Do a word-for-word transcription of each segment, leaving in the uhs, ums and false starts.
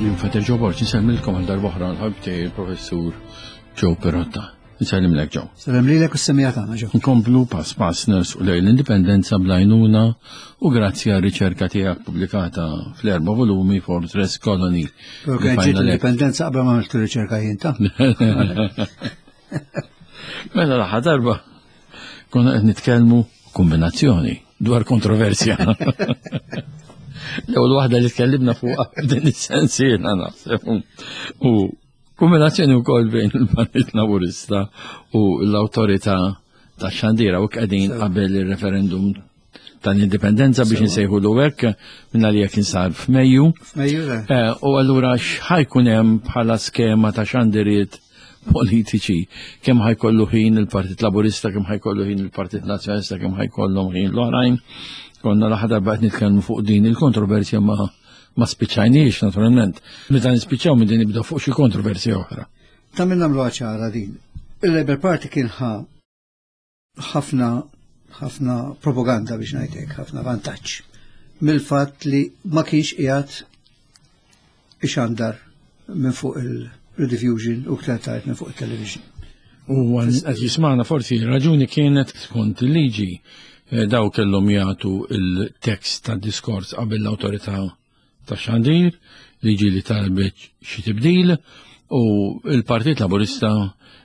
Jien Father Joe Borg, nsellmilkom għal darb'oħra l-ħabib tiegħi il-Professur Joe Pirotta. Nsellimlek, Joe. Sellem lilek u s-semmiegħa tagħna, Joe. Nkomplu pass pass nersqu lejn l-indipendenza bl-għajnuna u grazzi għal riċerka tiegħek pubblikata fl-erba' volumi Fortress Colony. Pero kien ġiet l-indipendenza qabel ma għamilt riċerka jien ta'. Mela l-aħħar darba konna qed nitkellmu kombinazzjoni dwar kontroversja. L-ewwel waħda li tkellimna fuq din is-sensiela naħseb. U kombinazzjoni wkoll bejn il-Partit Laburista u l-awtorità tax-xandira u qegħdin qabel ir-referendum tal-indipendenza biex nsejħu hekk minna li jekk insar f'Mejju. F'Mejju le. Eh, U allura x'ħa jkun hemm bħala skema ta' xandiriet politiċi, kemm ħa jkollu ħin il-Partit Laburista, kemm ħa jkollu ħin il-Partit Nazzjonalista, kemm ħa jkollhom ħin l-oħrajn. Konna l-aħħar darba qed nitkellmu fuq din il-kontroversja ma ma spiċċajniex naturalment. Meta nispiċċaw minn din nibdew fuq xi kontroversja oħra. Ta' minn nagħmlu ċara din. Il-Labour Party kien ħa ħafna ħafna propaganda biex ngħidlek, ħafna vantaġġ mill-fatt li ma kienx qiegħed ixandar minn fuq il-rediffusion u ktar tard minn fuq il-television. U għan jismana forsi raġuni kienet skont il-liġi eh, daw kellhom jagħtu il-tekst ta' diskors qabel l-awtorità ta' xandir, liġi li talbet xi tibdil u il-Partit Laburista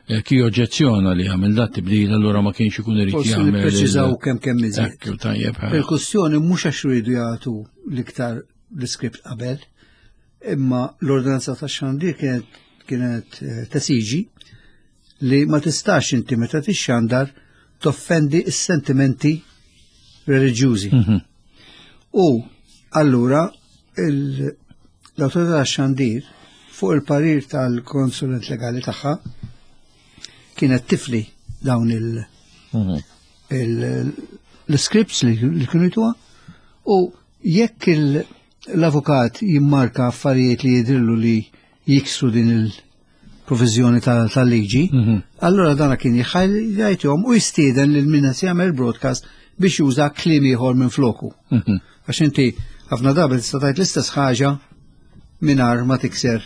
eh, ki oġġezzjona li għamel dat tibdil, allura ma kienx ikun irid Forsi jagħmel. nippreċiżaw kemm kemm iżjed. Ekku, tajjeb. ha. Il-kwestjoni mhux għax rridu jagħtu l-iktar l-iskript qabel, imma l-ordinanza ta' xandir kienet kienet eh, tesiġi li ma tistax inti meta tixxandar toffendi s-sentimenti reliġjużi. Mhm. U allura il- l-autorità tax-xandir fuq il-parir tal-konsulent legali tagħha kienet tifli dawn il- Mhm. il- l-scripts li li kienu jtuha u jekk il- l-avukat jimmarka affarijiet li jidrillu li jiksru din il-provizjoni tal-liġi, Mhm. allora dana kien jgħajtihom u jistieden lil min qed jagħmel broadcast biex juża kliem ieħor minn floku. Mhm. Għax inti ħafna drabi tista' tgħid l-istess ħaġa mingħajr ma tikser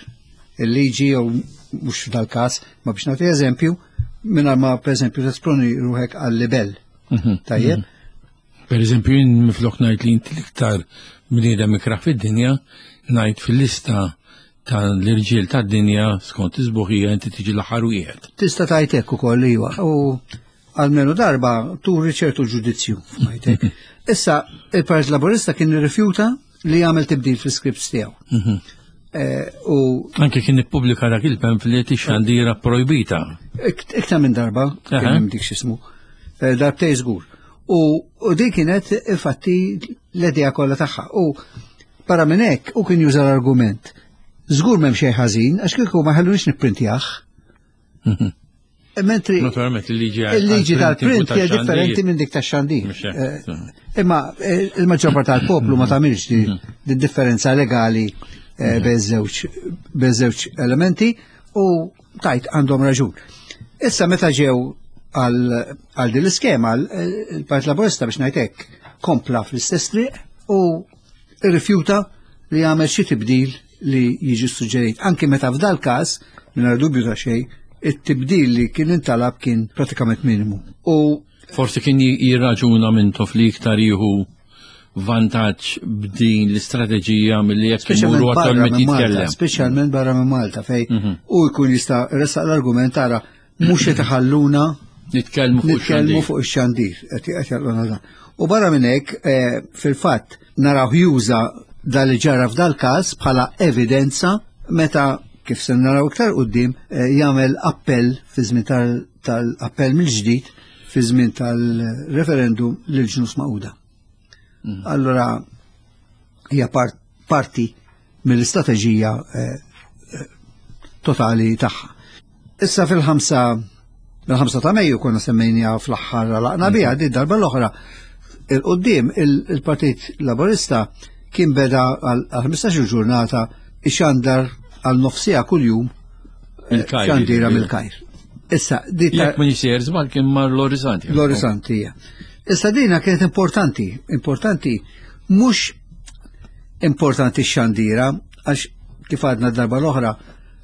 il-liġi jew mhux f'dal-każ, ma biex nagħti eżempju, mingħajr ma pereżempju tesponi ruħek għal-libel. Mhm. Tajjeb? Per eżempju, jien miflok ngħid li inti l-iktar bniedem ikrah fid-dinja, ngħid fil-lista tal-irġiel tad-dinja skont is-sbuħija inti tiġi l-aħħar wieħed. Tista' tgħid hekk ukoll iva. U almenu darba turi ċertu ġudizzju f'majtek. Issa, il-Partit Laburista kien irrifjuta li jagħmel tibdil fl-scripts tiegħu. Mhm. Eh, U Anke kien ippubblika dak il-pamphlet ix-xandira projbita. ikt- iktar minn darba kien Aha. hemm dik x'ismu. Eh, Darbtej żgur. U u din kienet infatti l-idea kollha tagħha. U barra minn hekk u kien juża l-argument. Żgur m'hemm xejn ħażin għax kieku ma ħallunix nipprintjah. Mhm. Mentri Naturalment il-liġi il-liġi tal-print hija hija differenti minn dik tax-xandir. Mhux hekk. Eh, Imma eh, il-maġġor parti tal-poplu ma tagħmilx di di differenza legali eh, bejn żewġ bejn żewġ elementi u tajt għandhom raġun. Issa meta ġew għal għal din l-iskema il-Partit Laburista biex ngħid hekk kompla fl-istess triq u rrifjuta li jagħmel xi tibdil li jiġi suġġerit. Anki meta f'dal każ, mingħajr dubju ta' xejn, it-tibdil li kien intalab kien pratikament minimu. U Forsi kien jirraġuna Mintoff li iktar jieħu vantaġġ b'din l-istrateġija milli jekk Speċjalment imuru barra attualment minn Malta, jitkellem. speċjalment barra minn Malta fej Mhm. u jkun jista' ressaq l-argument tara mhux qed iħalluna Nitkellmu fuq nitkellmu ix-xandir. fuq ix-xandir qed qed jagħluna dan. U barra minn hekk eh, fil-fatt naraw juża dal li ġara f'dal każ bħala evidenza meta kif se naraw iktar quddiem eh, jagħmel appell fi żmien tal- tal-appell mill-ġdid fi żmien tal-referendum lil Ġnus Magħquda. Allora hija part, parti mill-istrateġija eh, eh, totali tagħha. Issa fil-ħamsa fil-ħamsa ta' Mejju konna semmejnija fl-aħħar laqna biha di darba l-oħra il-qoddim il-Partit Laburista kien beda għal ħmistax-il ġurnata ixandar għal nofsija kuljum eh, Mill-Kajr, xandira jiġifieri. mill-Kajr. Issa, di ta' Jekk ma jisir żball kien mar l-Orizzanti. l-Orizzanti hija. Issa dina kienet importanti, importanti mhux importanti x-xandira għax kif għadna d-darba l-oħra,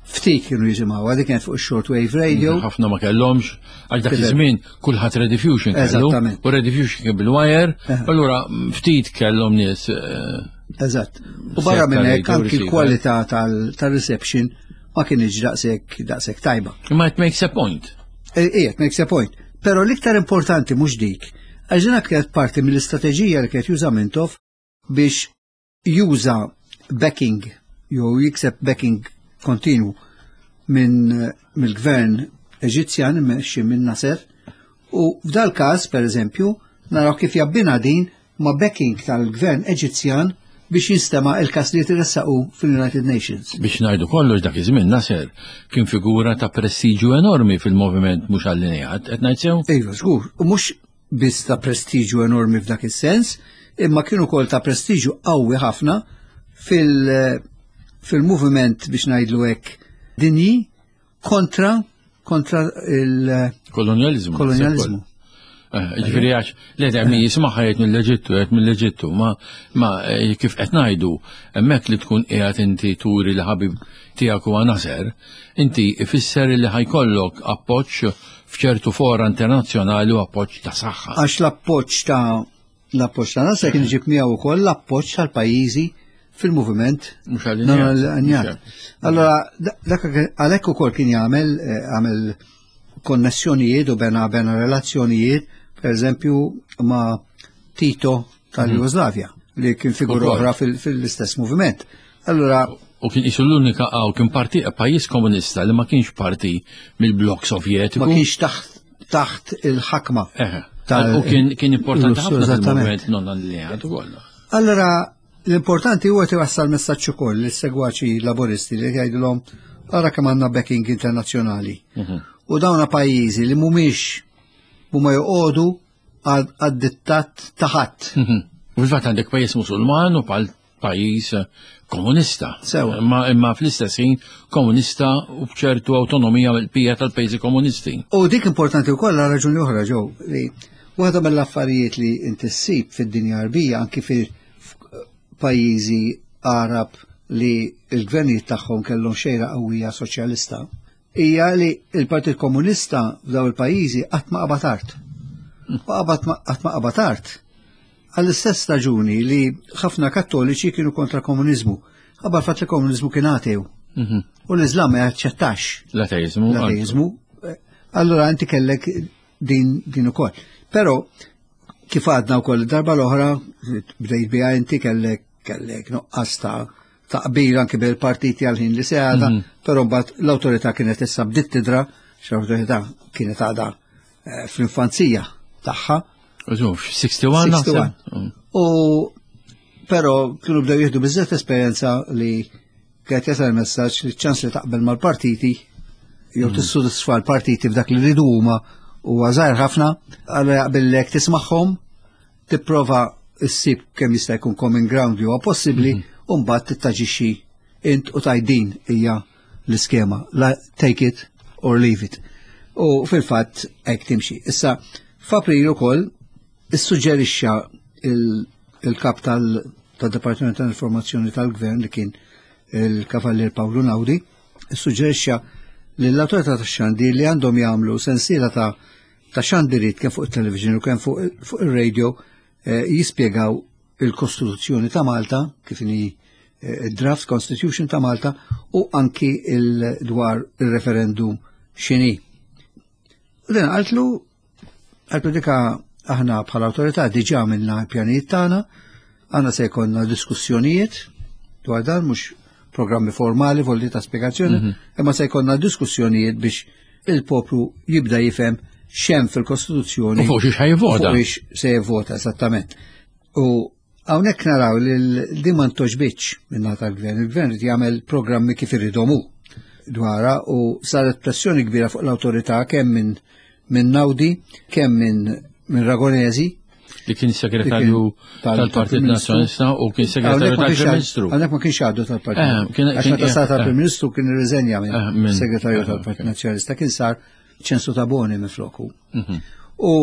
ftit kienu jisimgħu, dik kienet fuq shortwave radio. Ħafna ma kellhomx, għax dak iż-żmien kulħadd Rediffusion kellu. U Rediffusion kien bil-wire, allura ftit kellhom nies. Eżatt. U barra minn hekk anki l-kwalità tal-reception ma kienx daqshekk daqshekk tajba. Imma it makes a point. Ija, it makes a point. Però l-iktar importanti mhux dik, għax din kienet parti mill-istrateġija li kienet juża Mintoff biex juża backing jew jikseb backing kontinu minn mill-gvern Eġizzjan immexxi minn Nasser, u f'dal każ pereżempju naraw kif jabbina din ma' backing tal-gvern Eġizzjan biex jinstema' il-każ li jtressaqu fil-United Nations. Biex ngħidu kollox, dak iż-żmien Nasser kien figura ta' prestiġju enormi fil-moviment mhux allineat, qed ngħid sew? Iva, żgur, u mhux biss ta' prestiġju enormi f'dak is-sens, imma kien ukoll ta' prestiġju qawwi ħafna fil- fil-moviment biex ngħidlu hekk dinji kontra kontra il-kolonializmu. Kolonializmu. Ġifieri għax li qed min jismaħħa jgħid mill-Eġittu, jgħid mill-Eġittu, ma ma kif qed ngħidu hemmhekk li tkun qiegħed inti turi li ħabib tiegħek huwa Nasser, inti ifisser li ħajkollok appoġġ f'ċertu fora internazzjonali u appoġġ ta' saħħa. Għax l-appoġġ ta' l-appoġġ ta' Nasser kien iġib miegħu wkoll l-appoġġ tal-pajjiżi fil-moviment mhux allinjat. Allora dak għalhekk ukoll kien jagħmel għamel konnessjonijiet u bena bena relazzjonijiet, per eżempju, ma' Tito tal-Jugoslavja, li kien figura oħra fil-istess moviment. Allora, u kien isu l-unika għaw kien parti pajjiż komunista li ma kienx parti mill-blok sovjetiku. Ma kienx taħt taħt il-ħakma. U kien kien importanti ħafna fil-moviment non allineat ukoll. Allora, l-importanti huwa tiwassal messaġġ ukoll lis-segwaċi laboristi li jgħidulhom ara kemm għandna backing internazzjonali. U dawna pajjiżi li mhumiex huma joqogħdu għad-dittat ta' ħadd. U fil-fatt għandek pajjiż Musulman u pal pajjiż komunista. Sewa. Imma imma fl-istess ħin komunista u b'ċertu awtonomija mill-pija tal-pajjiżi komunisti. U dik importanti wkoll għal raġuni oħra ġew li waħda mill-affarijiet li inti ssib fid-dinja Arbija anki fil-pajjiżi Arab li l-gvernijiet tagħhom kellhom xejra qawwija soċjalista, hija li l-Partit Komunista f'daw il-pajjiżi qatt ma qabad art. U qatt ma qabad art għall-istess raġuni li ħafna kattoliċi kienu kontra komuniżmu. Qabel fatt li komuniżmu kien atew. U l-Iżlam ma jaċċettax l-ateizmu. L-ateizmu. Allora inti kellek din din ukoll. Però kif għadna wkoll darba l-oħra bdejt biha inti kellek kellek nuqqas ta' taqbil anki bil-partiti għal-ħin li se għada, però mbagħad l-awtorità kienet issa bdiet tidra, l-awtorità kienet għadha fl-infanzija tagħha. sixty-one naħseb. U però kienu bdew jieħdu biżżejjed esperjenza li kienet jasal messaġġ li ċ-ċans li taqbel mal-partiti jew tissodisfa l-partiti f'dak li rridu huma huwa żgħir ħafna, allura jaqbillek tismagħhom, tipprova ssib kemm jista' jkun common ground li huwa possibbli, u mbagħad tittaġixxi int u tgħid din hija l-iskema, la take it or leave it. U fil-fatt hekk timxi. Issa f'April ukoll issuġġerixxa il-kap tal-Dipartiment tal-Informazzjoni tal-Gvern li kien il-Kavallier Pawlu Naudi, issuġġerixxa lill-awtorità tax-xandir li għandhom jagħmlu sensiela ta' ta' xandiriet kemm fuq it-television u kemm fuq ir-radio jispjegaw il-Kostituzzjoni ta' Malta, kif inhi draft Constitution ta' Malta, u anki il-dwar il-referendum x'inhi. U din qaltlu, qaltlu dika aħna bħala awtorità diġà għamilna l-pjanijiet tagħna, għandna se jkollna diskussjonijiet dwar dan, mhux programmi formali volli ta' spjegazzjoni, imma se jkollna diskussjonijiet biex il-poplu jibda jifhem x'hemm fil-Kostituzzjoni. U fuq xiex ħajvota. Fuq xiex se jivvota, esattament. U hawnhekk naraw li din ma ntoġbitx min-naħa tal-gvern. Il-gvern irid jagħmel programmi kif iridhom hu dwarha, u saret pressjoni kbira fuq l-awtorità kemm minn min Naudi, kemm minn min Ragonesi, li kien segretarju tal-Partit Nazzjonalista u kien segretarju tal-Prim Ministru. Għalhekk ma kienx għadu tal-Partit. Għax meta sar tal-Prim Ministru kien irriżenja minn segretarju tal-Partit Nazzjonalista, kien sar Ċensu Taboni minn floku. U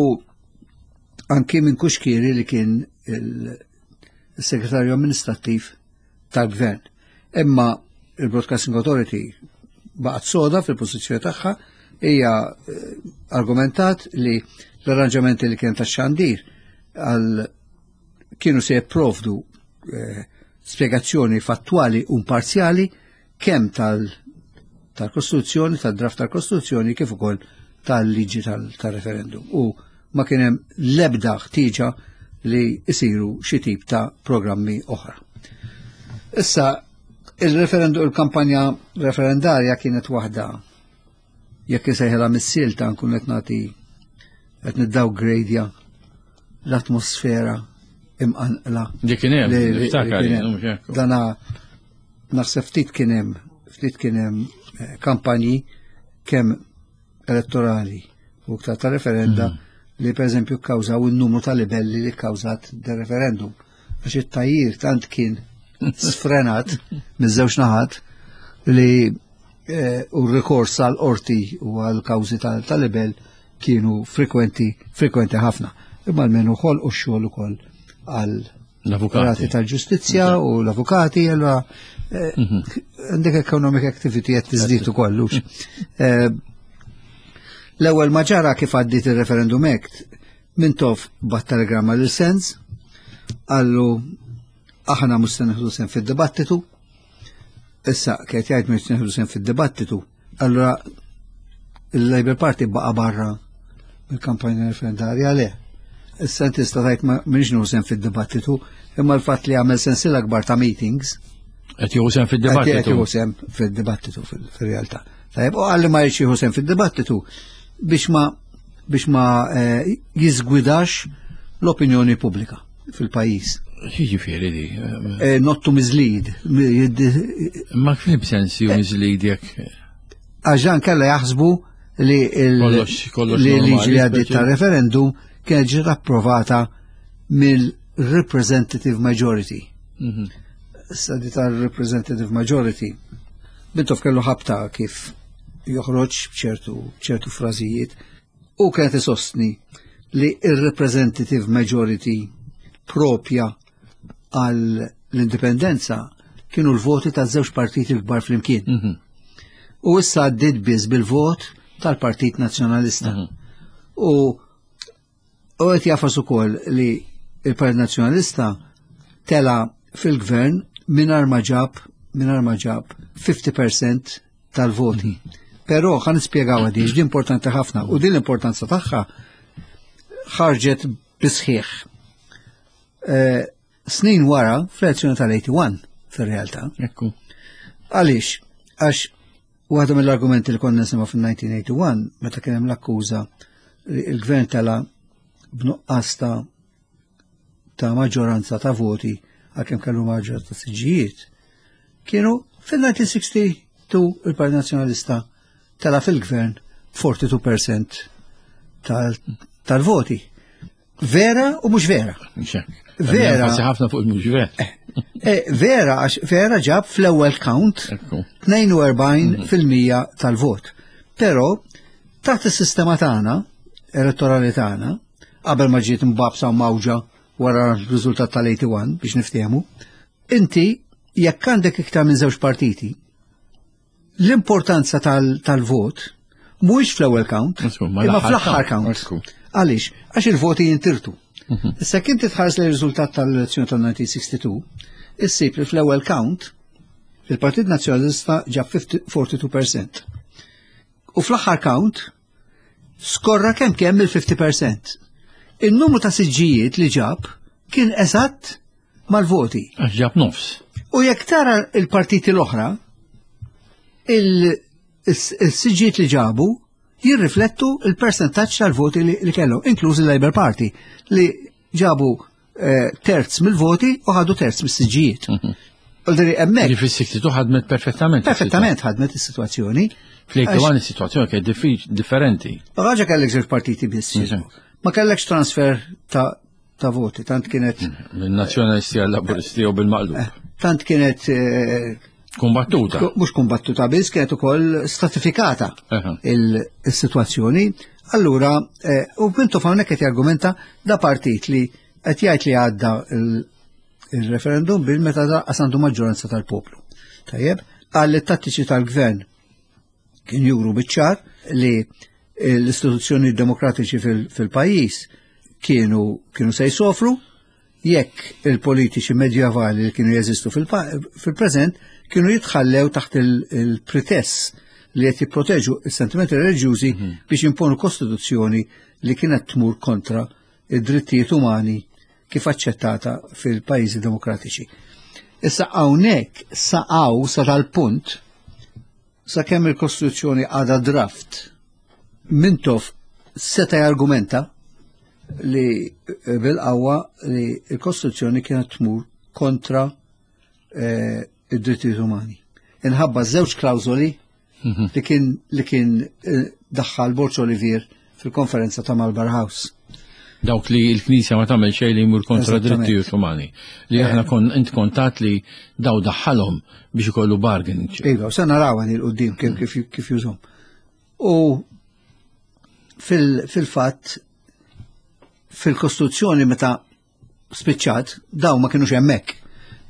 anki minn Kuxkieri li kien il-segretarju amministrattiv tal-gvern. Imma Il-Broadcasting Authority baqgħet soda fil-pożizzjoni tagħha, hija eh, argumentat li l-arranġamenti li kien tax-xandir għal kienu se jipprovdu eh, spjegazzjoni fattwali u imparzjali kemm tal tal-Kostituzzjoni, tal-draft tal-Kostituzzjoni kif ukoll tal-liġi tal-referendum. U ma kien hemm l-ebda ħtieġa li jsiru xi tip ta' programmi oħra. Issa, il-referendum, il-kampanja referendarja kienet waħda, jekk isejħilha mis-silta, nkun qed nagħti, qed niddowngradja l-atmosfera imqanqla. Dik kien hemm, li- li- niftakar li kien jien, hemm. mhux hekk. Dana naħseb ftit kien hemm ftit kien hemm eh, kampanji kemm elettorali u iktar ta' referenda li per eżempju kkawżaw il-numru ta' libelli li kkawżat de referendum. Għax it-tajjir tant kien sfrenat miż-żewġ naħat li eh, u r-rikors għal qorti u għal kawżi tal-libel kienu frekwenti, frekwenti ħafna. Imma almenu ħolqu x-xogħol ukoll għal L-avukati. rati tal-ġustizzja u l-avukati, allora eh, għandek economic activity qed tiżdied ukoll. Hux. Eh, L-ewwel ma ġara kif għaddiet il-Referendum Act, Mintoff bagħat telegramma lil Sands, qallu aħna mhux se nieħdu sehem fid-dibattitu. Issa kienet jgħid mhux nieħdu sehem fid-dibattitu. Allura il-Labour Party baqa' barra mill-kampanja referendarja, le. Issa inti tista' tgħid ma m'iniex nieħu sehem fid-dibattitu, imma l-fatt li għamel sensiela akbar ta' meetings Qed jieħu sehem qed fid-dibattitu. jieħu sehem fid-dibattitu fil-realtà. Tajjeb, u għalli ma jridx jieħu sehem fid-dibattitu biex ma biex ma eh, jiżgwidax l-opinjoni pubblika fil-pajjiż. Jiġifieri di. Eh, Not to mislead. Mi- Ma kif sens ju mislead jekk Għax dan kella jaħsbu li il- Kollox- kollox li normali, liġi li għaddiet speċi. ta' referendum kienet ġiet approvata mill-representative majority. Mhm. Issa di tal-representative majority. Mintoff kellu ħabta kif joħroġ b'ċertu ċertu frażijiet u kienet isostni li il-representative majority propja għal l-indipendenza kienu l-voti ta' żewġ partiti l-kbar flimkien. Mhm. U issa għaddiet biss bil-vot tal-Partit Nazzjonalista. Mhm. U u qed jagħfas ukoll li il-Partit Nazzjonalista tela fil-gvern mingħajr ma ġab mingħajr ma ġab fifty percent tal-voti. Però ħa nispjegaw għadi, di importanti ħafna u din l-importanza tagħha ħarġet bisħiħ. Eh, snin wara fl-elezzjoni tal-eighty-one fil-realtà. Ekku. Għaliex? Għax waħda mill-argumenti li konna nisimgħu fil-elf disa' mija u wieħed u tmenin meta kien hemm l-akkuża li il-gvern tela b'nuqqas ta' ta' maġġoranza ta' voti għalkemm kellu maġġoranza ta' siġġijiet, kienu fil-elf disa' mija u tnejn u sittaw il-Partit Nazzjonalista tela fil-gvern erbgħa u erbgħin fil-mija tal- tal-voti. Vera u mhux vera. Mhux hekk. Vera. Enfasi ħafna fuq il-mhux vera. Eh, vera, għax vera ġab fl-ewwel count Ekku. tnejn u erbgħin fil-mija tal-vot. Però taħt is-sistema tagħna, elettorali tagħna, qabel ma ġiet mbabsa u mawġa wara r-riżultat tal-eighty-one biex niftehmu, inti jekk għandek iktar minn żewġ partiti, l-importanza tal- tal-vot mhuwiex fl-ewwel count, Insomma, imma l-aħħar fl-aħħar count. count. Ekku. Għaliex? Għax il-voti jintirtu. Issa kien titħares li riżultat tal-elezzjoni tal-elf disa' mija u tnejn u sittin, issib li fl-ewwel count il-Partit Nazzjonalista ġab erbgħa u erbgħin fil-mija. U fl-aħħar count skorra kemm kemm il-fifty percent. Il-numru ta' siġġijiet li ġab kien eżatt mal-voti. Għax ġab nofs. U jekk tara il-partiti l-oħra, il-siġġijiet li ġabu jirriflettu il-percentaġġ tal-voti li, li kellhom, inkluż il-Labour Party, li ġabu eh, terz mill-voti u ħadu terz mis-siġġijiet. U diri hemmhekk Ġifieri fis-tnejn u sittin ħadmet perfettament. Perfettament ħadmet is-sitwazzjoni. Fl-eighty-one is-sitwazzjoni kienet diffi- differenti. Raġa kellek żewġ partiti biss. Mhm. Ma kellekx transfer ta' ta' voti, tant kienet Min-nazzjonalisti għal-laburisti u bil-maqlub. tant kienet eh, Kumbattuta. mhux kumbattuta biss, kienet ukoll stratifikata Aha. il-sitwazzjoni. Allura, eh, u Mintoff hawnhekk qed jargumenta da partit li qed jgħid li għadda il- il-referendum bil meta da għandu maġġoranza tal-poplu. Tajjeb, għal tattiċi tal-gvern kien juru biċ-ċar li l-istituzzjoni demokratiċi fil-pajjiż kienu kienu se jsofru jekk il-politiċi medjevali li kienu jeżistu fil-preżent kienu jitħallew taħt il-pretess li qed jipproteġu s-sentimenti reliġjużi mhm. biex imponu kostituzzjoni li kienet tmur kontra id-drittijiet umani kif aċċettata fil-pajjiżi demokratiċi. Issa hawnhekk saqgħu sa tal-punt sakemm il-Kostituzzjoni għadha draft, Mintoff seta' jargumenta li eh, bil-qawwa li l-Kostituzzjoni kienet tmur kontra eh, id-drittijiet umani. Inħabba żewġ klawżoli mhm. li kien li kien eh, daħħal Borg Olivier fil-konferenza ta' Marlborough House. Dawk li l-Knisja ma tagħmel xejn li jmur kontra drittijiet umani. Li aħna kon int kontat li daw daħħalhom biex ikollu bargain. Iva, se naraw 'il quddiem kif kif kif jużhom. U fil-fatt fil-Kostituzzjoni meta spiċċat daw ma kienux hemmhekk.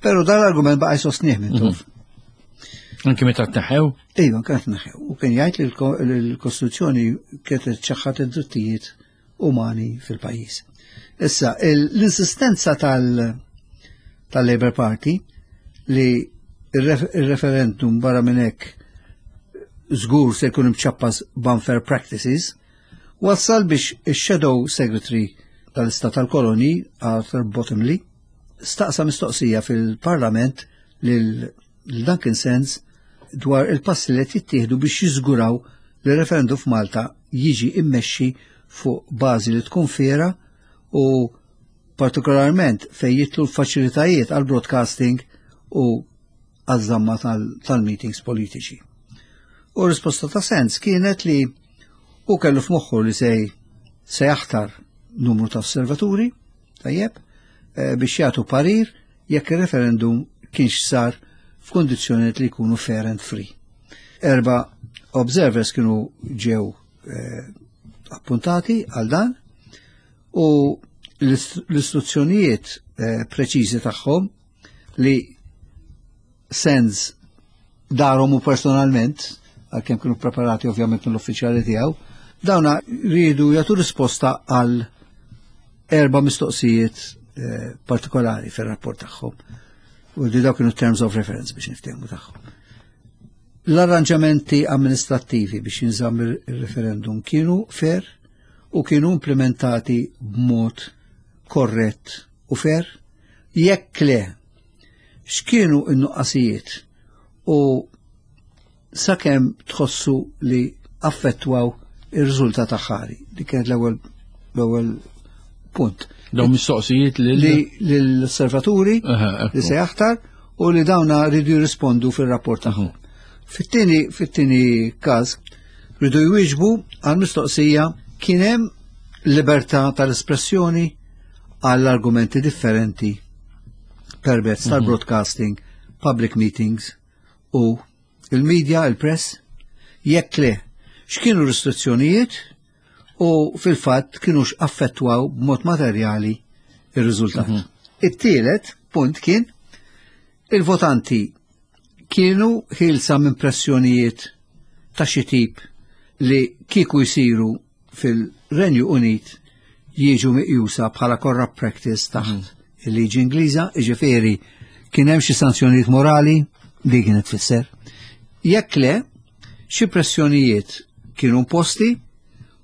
Però dan l-argument baqa' jsostnih Mintoff. Mhm. Anki meta tneħħew? Iva, kienet tneħħew. U kien jgħid li l-Kostituzzjoni kienet ċaħħat id-drittijiet umani fil-pajjiż. Issa, l-insistenza tal-Labour Party li il-referendum barra minn hekk żgur se jkun imċappas b'unfair practices, wassal biex il-Shadow Secretary tal-Istat tal-Koloni, Arthur Bottomley, staqsa mistoqsija fil-Parlament lil Duncan Sands dwar il-passi li qed jittieħdu biex jiżguraw li referendum f'Malta jiġi immexxi fuq bażi li tkun fair u partikolarment fejn jidħlu l-faċilitajiet għal broadcasting u għaż-żamma tal-meetings politiċi. U risposta ta' Sands kienet li u kellu f'moħħu li se se jaħtar numru ta' osservaturi, tajjeb, eh, biex jagħtu parir jekk il-referendum kienx sar f'kondizzjonijiet li jkunu fair and free. Erba observers kienu ġew eh, appuntati għal dan u l-istruzzjonijiet eh, preċiżi tagħhom li Sands darhom u personalment, għalkemm kienu preparati ovvjament mill-uffiċjali tiegħu, dawna rridu jagħtu risposta għal erba' mistoqsijiet eh, partikolari fir-rapport tagħhom. U di dawk kienu terms of reference biex niftehmu tagħhom. L-arranġamenti amministrattivi biex jinżamm il-referendum kienu fair u kienu implementati b'mod korrett u fair. Jekk le, x'kienu n-nuqqasijiet u sakemm tħossu li affettwaw ir-riżultat aħħari? Dik kienet l-ewwel l-ewwel punt. Dawn mistoqsijiet li Li l-osservaturi li se jaħtar u li dawna rridu jirrispondu fil-rapport tagħhom. Fit-tieni fit-tieni każ rridu jwieġbu għal mistoqsija kien hemm libertà tal-espressjoni għall argumenti differenti permezz tal-broadcasting, public meetings u il-media, il-press, jekk le, x'kienu restrizzjonijiet u fil-fatt kienux affettwaw b'mod materjali ir-riżultat. It-tielet punt kien il-votanti kienu ħielsa minn pressjonijiet ta' xi tip li kieku jsiru fil-Renju Unit jiġu miqjusa bħala corrupt practice taħt il-liġi Ingliża, jiġifieri kien hemm xi sanzjonijiet morali li kienet tfisser. Jekk le, xi pressjonijiet kienu imposti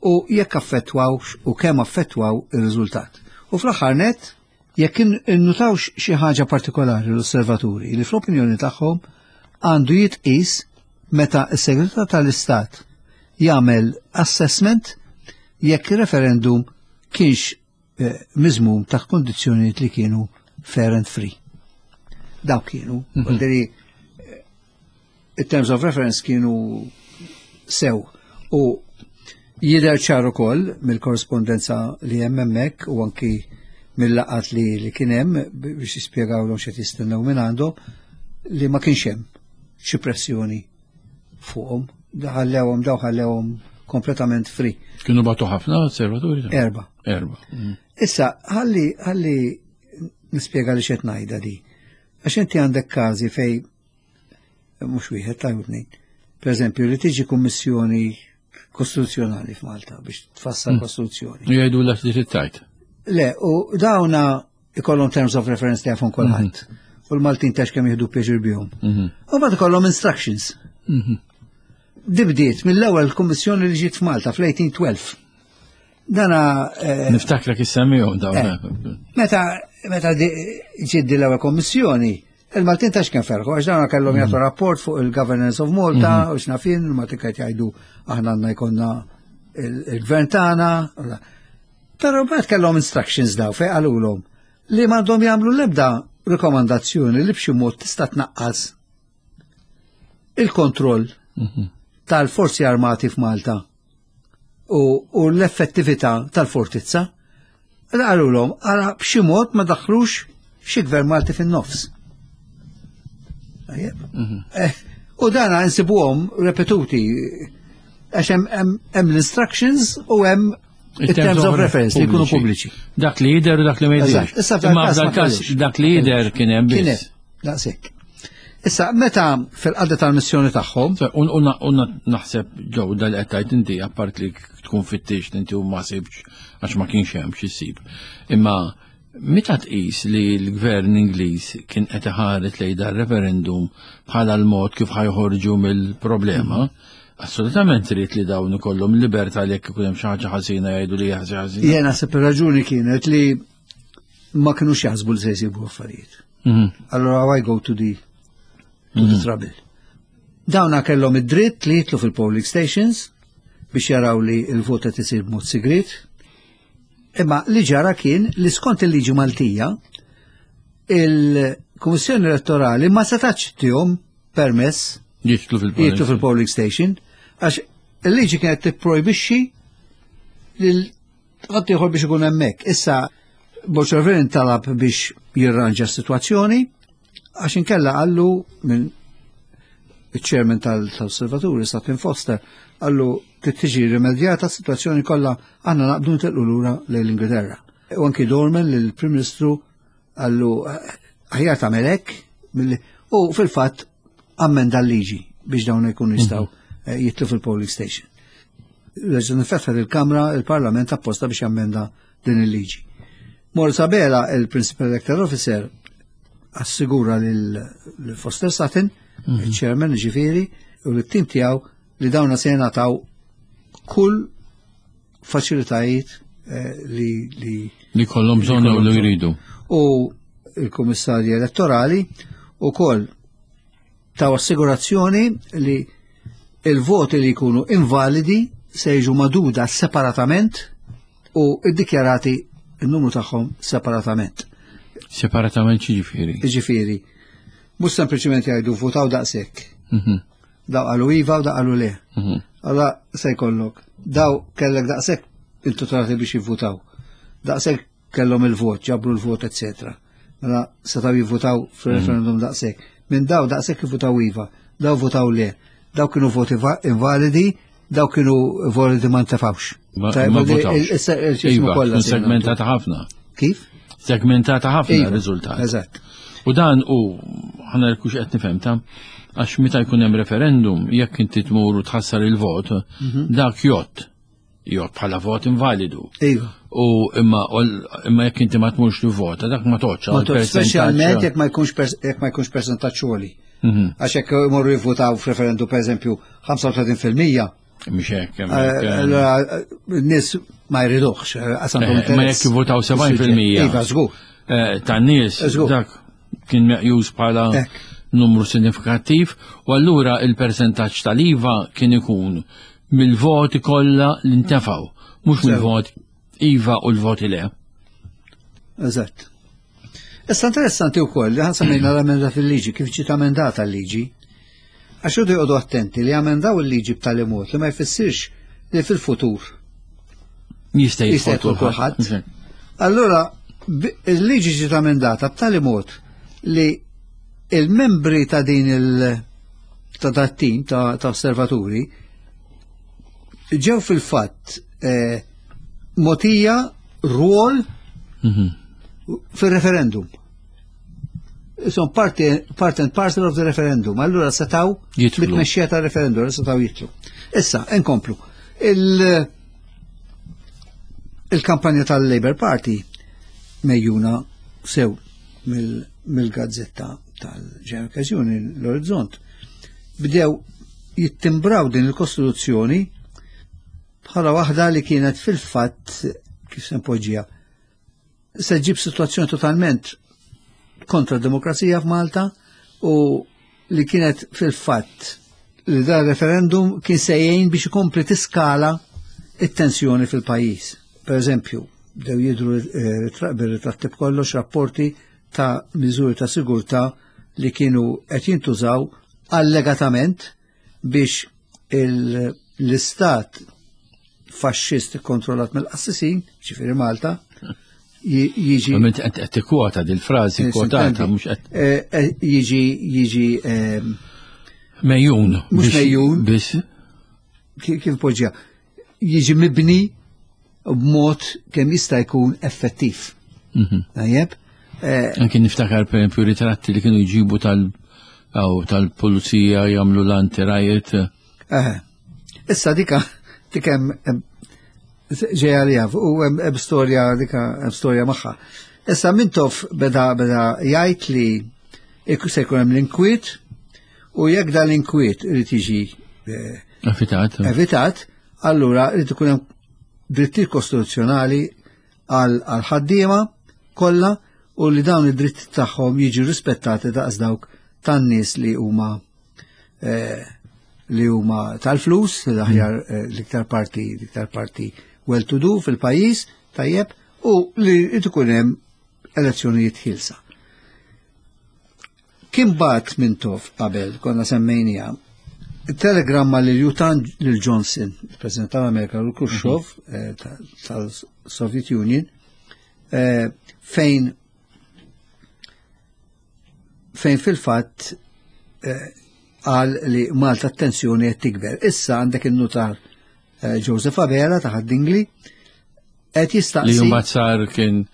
u jekk affettwawx u kemm affettwaw ir-riżultat. U fl-aħħar net, jekk innutawx xi ħaġa partikolari l-osservaturi li fl-opinjoni tagħhom għandu jitqis meta s-Segretarju tal-Istat jagħmel assessment jekk ir-referendum kienx eh, miżmum ta' kondizzjonijiet li kienu fair and free. Dawk kienu, mm -hmm. in terms of reference kienu sew u jidher ċar ukoll mill-korrespondenza li hemm hemmhekk u anki mill-laqat li, li kien hemm biex jispjegawlhom x'qed jistennew minn għandhom li ma kienx hemm xi pressjoni fuqhom. Ħallewhom daw ħallewhom kompletament free. Kienu bagħtu ħafna osservaturi? Erba. Erba. Mm. Issa, ħalli ħalli nispjega li x'qed ngħidha di. Għax inti għandek każi fej Mhux wieħed ta' tnejn. Per eżempju, li tiġi kummissjoni kostituzzjonali f'Malta biex tfassal kostituzzjoni. Jgħidu l li tittajt. Le, u dawna ikollhom terms of reference li jafhom kulħadd. U l-Maltin tax kemm jieħdu pjaċir bihom. U mbagħad ikollhom instructions. Din bdiet mill-ewwel kummissjoni li ġiet f'Malta fl-eighteen twelve. Dana eh, Niftakrek issemmihom dawn. Eh. Meta meta di- ġiet di l-ewwel kommissjoni, il-Maltin tax kemm ferħu, għax dawna kellhom jagħtu rapport fuq il-governance of Malta, u x'naf jien, il-Maltin qed jgħidu aħna għandna jkollna il- il-gvern tagħna. Però mbagħad kellhom instructions daw fejn qalulhom li m'għandhom jagħmlu l-ebda rikomandazzjoni li b'xi mod tista' tnaqqas il-kontroll tal-forzi armati f'Malta u, u l-effettività tal-fortizza. Qalulhom għara b'xi mod ma daħlux xi gvern Malti fin-nofs. Tajjeb. Eh, U dana nsibuhom repetuti għax hemm hemm- hemm l-instructions u hemm il-terms of reference li jkunu pubbliċi. Dak li jider u dak li ma jidirx. Eżatt. Issa f'dal Imma każ ma f'dal każ kellux. dak li jider kien hemm Kien biss. hemm, daqshekk. Issa, meta fil-qadda tal-missjoni tagħhom, U u naħseb ġew dal qed tgħid inti, apart li tkun fittix inti u ma sibx għax ma kienx hemm xi ssib. Imma meta tqis li l-gvern Ingliż kien qed iħares lejn dar referendum bħala l-mod kif ħa joħorġu mill-problema, assolutament trid li dawn ikollhom libertà li jekk ikun hemm xi ħaġa ħażina jgħidu li hija ħażina. Jena naħseb ir-raġuni kienet li ma kinux jaħsbu li se jsibu affarijiet. Mhm. Allora why go to the to the trouble? Dawna kellhom id-dritt li jidħlu fil-polling stations biex jaraw li il-vot qed isir b'mod sigrit. Imma li ġara kien li skont il-liġi Maltija il-Kummissjoni Elettorali ma setax tihom permess Jidħlu fil-polling. jidħlu fil-polling station għax il-liġi kienet tipprojbixxi lil ħadd ieħor biex ikun hemmhekk. Issa Borg Olivier talab biex jirranġa s-sitwazzjoni għax inkella qallu minn il-chairman tal-osservaturi, Sutton Foster, qallu trid tiġi rimedjata s-sitwazzjoni kollha, għandna naqbdu nitilqu lura lejn l-Ingilterra. U anki Dorman lill-Prim Ministru qallu aħjar tagħmel hekk milli- u fil-fatt ammenda l-liġi biex dawn ikunu jistgħu eh, jidħlu fil-polling station. Reġa' nfetħet il-Kamra, il-Parlament apposta biex jammenda din il-liġi. Maurice Abela, il-Principal Electoral Officer, assigura lil lil Foster Sutton, il-chairman ġifieri, u l-tim tiegħu li dawna se jingħataw kull faċilitajiet eh, li, li Li kollhom bżonn u li jridu. U il-Kummissarji Elettorali u koll taw assigurazzjoni li il-voti li jkunu invalidi se jiġu magħduda separatament u iddikjarati il-numru tagħhom separatament. Separatament ġifieri? Ġifieri, mhux sempliċement jgħidu votaw daqshekk. Mhm. Daw qalu iva u daw qalu le. Mhm. Allora se jkollok. Daw kellek daqshekk intitolati biex jivvutaw. Daqshekk kellhom il-vot, ġabru l-vot, eċetera. Mela setgħu jivvutaw fil-referendum daqshekk. Minn daw daqshekk jivvutaw iva, daw votaw le. Daw kienu voti va- invalidi, daw kienu validi ma ntefawx. Ma Tajb, ma il- votawx. il- il- il- Iva, kollha tkun se segmentata ħafna. Kif? Segmentata ħafna Iva, r-riżultat. Eżatt. U dan u ħana l-kux qed nifhem ta' għax meta jkun hemm referendum, jekk inti tmur u tħassar il-vot, Mhm. dak jgħodd. Jgħodd bħala vot invalidu. Iva. U imma imma jekk inti ma tmurx tivvota, dak ma toċċa. Ma to- Speċjalment jekk ma jkunx pers- jekk ma jkunx percentaġġ għoli. Mhm. Għax jekk imorru jivvutaw f'referendum per eżempju ħamsa u tletin fil-mija, Mhux hekk. eh, allora eh, n-nies ma jriduhx, eh, għax għandhom Eh, Ma interess. jekk jivvotaw sebgħin fil-mija Iva, żgur. tan-nies, Żgur. dak kien meqjus bħala Hekk. numru sinifikattiv u allura il-percentaġġ tal-iva kien ikun mill-voti kollha li ntefgħu, mhux Sew. mill-voti iva u l-voti le. Eżatt. Issa interessanti wkoll li ħa semmejna l-emenda fil-liġi, kif ġiet amendata l-liġi. Għax iridu joqogħdu attenti li amendaw il-liġi b'tali mod li ma jfissirx li fil-futur Jista' jista' jidħol jidħol kulħadd. Allora, bi- il-liġi ġiet amendata b'tali mod li il-membri ta' din il- ta' dat tim ta', ta' osservaturi ġew fil-fatt eh, mogħtija rwol Mhm. fil-referendum. Son parti part and parcel of the referendum. Allura setaw Jidħlu. bit-tmexxija tal-referendum, setaw jidħlu. Issa, inkomplu. Il- Il-kampanja tal-Labour Party mejjuna sew mill- mill-gazzetta tal-General Union, l-Orizzont, bdew jittimbraw din il-Kostituzzjoni bħala waħda li kienet fil-fatt kif se npoġġiha se ġib situazzjoni totalment kontra d-demokrazija f'Malta u li kienet fil-fatt li da referendum kien se jgħin biex ikompli tiskala it-tensjoni fil-pajjiż. Per eżempju, bdew jidru eh, ritra- bir-ritratti b'kollox rapporti ta' miżuri ta' sigurtà li kienu qed jintużaw allegatament biex il- l-istat faxxist kontrollat mill-qassisin, ġifieri Malta, ji- jiġi Għamilt qed qed tikkwota dil-frażi kwotata Sintendi. mhux qed Eh, eh, jiġi jiġi ehm, mejjun. Mhux biex- mejjun. Biss ki- kif poġġja jiġi mibni b'mod kemm jista' jkun effettiv. Mhm. Tajjeb? Eh, Anki niftakar per esempio ritratti li kienu jġibu tal aw tal-pulizija jagħmlu l-anti-riot. eh. Issa dika dik hemm hemm- ġejja li jaf, u hemm hemm storja dika hemm storja magħha. Issa Mintoff beda beda jgħid li ikku se jkun hemm l-inkwiet u jekk dan l-inkwiet irid jiġi eh, Evitat. evitat, allura irid ikun hemm drittijiet kostituzzjonali għal għal ħaddiema kollha u li dawn id-dritti tagħhom jiġu rispettati daqs dawk tan-nies li huma eh, li huma tal-flus, l-aħjar eh, l-iktar parti l-iktar parti well to do fil-pajjiż, tajjeb, u li irid ikun hemm elezzjonijiet ħielsa. Kien bagħat Mintoff qabel, konna semmejnija, telegramma lil Jutan lil Johnson, il-President tal-Amerika, u Khrushchev eh, ta- tal-Soviet Union, eh, fejn fejn fil-fatt eh, qal li Malta t-tensjoni qed tikber. Issa għandek il-nutar eh, Joseph Abela ta' Ħad-Dingli qed Li jistaqsi mbagħad sar kien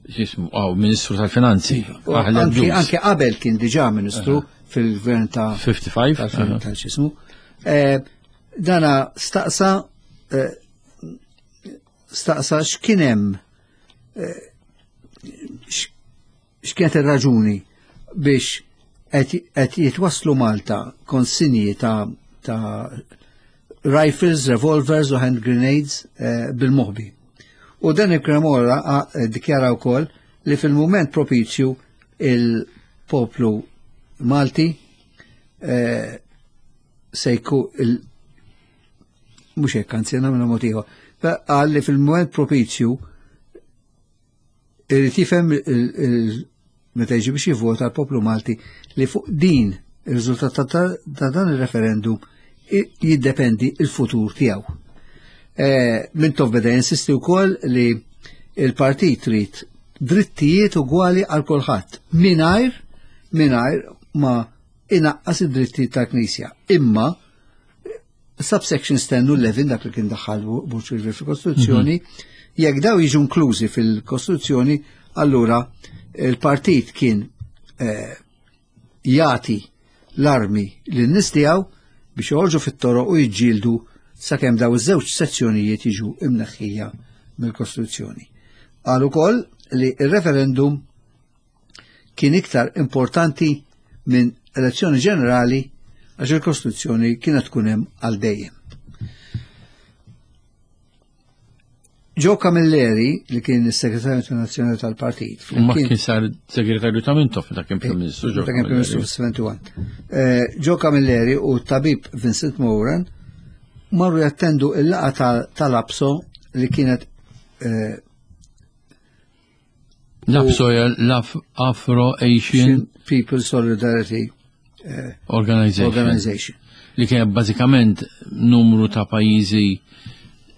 x'ismu, aw Ministru tal-Finanzi. U Aħleb anki ġus. anki qabel kien diġà ministru fil-gvern ta' ħamsa u ħamsin? tal- Aha. tal-xismu. Eh, Dana staqsa eh, staqsa x'kien hemm eh, x- x'kienet ir-raġuni biex qed qed jitwasslu Malta konsinji ta' ta' rifles, revolvers u hand grenades eh, bil-moħbi. U dan il-Cremora ah, dikjara wkoll li fil-moment propizju il-poplu Malti eh, se jkun il mhux hekk anzi nagħmlu mod ieħor. Qal li fil-moment propizju irid jifhem il- il- meta jiġi biex jivvota l-poplu Malti li fuq din ir-riżultat ta' ta' ta' dan il-referendum i- jiddependi il-futur tiegħu. Eh, Mintoff beda jinsisti wkoll li il-partit trid drittijiet ugwali għal kulħadd mingħajr mingħajr ma inaqqas id-drittijiet tal-Knisja. Imma subsection ten u eleven dak li kien daħħal Bush fil-Kostituzzjoni, jekk daw jiġu inklużi fil-Kostituzzjoni, allura il-partit kien eh, jagħti l-armi lin-nies tiegħu biex joħorġu fit-toroq u jiġġieldu sakemm daw iż-żewġ sezzjonijiet jiġu imneħħija mill-Kostituzzjoni. Qal ukoll li il-referendum kien iktar importanti minn elezzjoni ġenerali għax il-Kostituzzjoni kienet tkun hemm għal dejjem. Joe Camilleri, li kien is-Segretarju Internazzjonali tal-Partit, U ma kien sar segretarju ta' Mintoff ta' kien Prim Ministru. Joe Ta' kien Prim Ministru Camilleri. fis-sebgħa u sebgħin. Eh, Joe Camilleri u tabib Vincent Moran marru jattendu il-laqgħa tal- tal-APSO li kienet eh, L-APSO hija l-Afro Asian People Solidarity Organization. Organization. Li kien bażikament numru ta' pajjiżi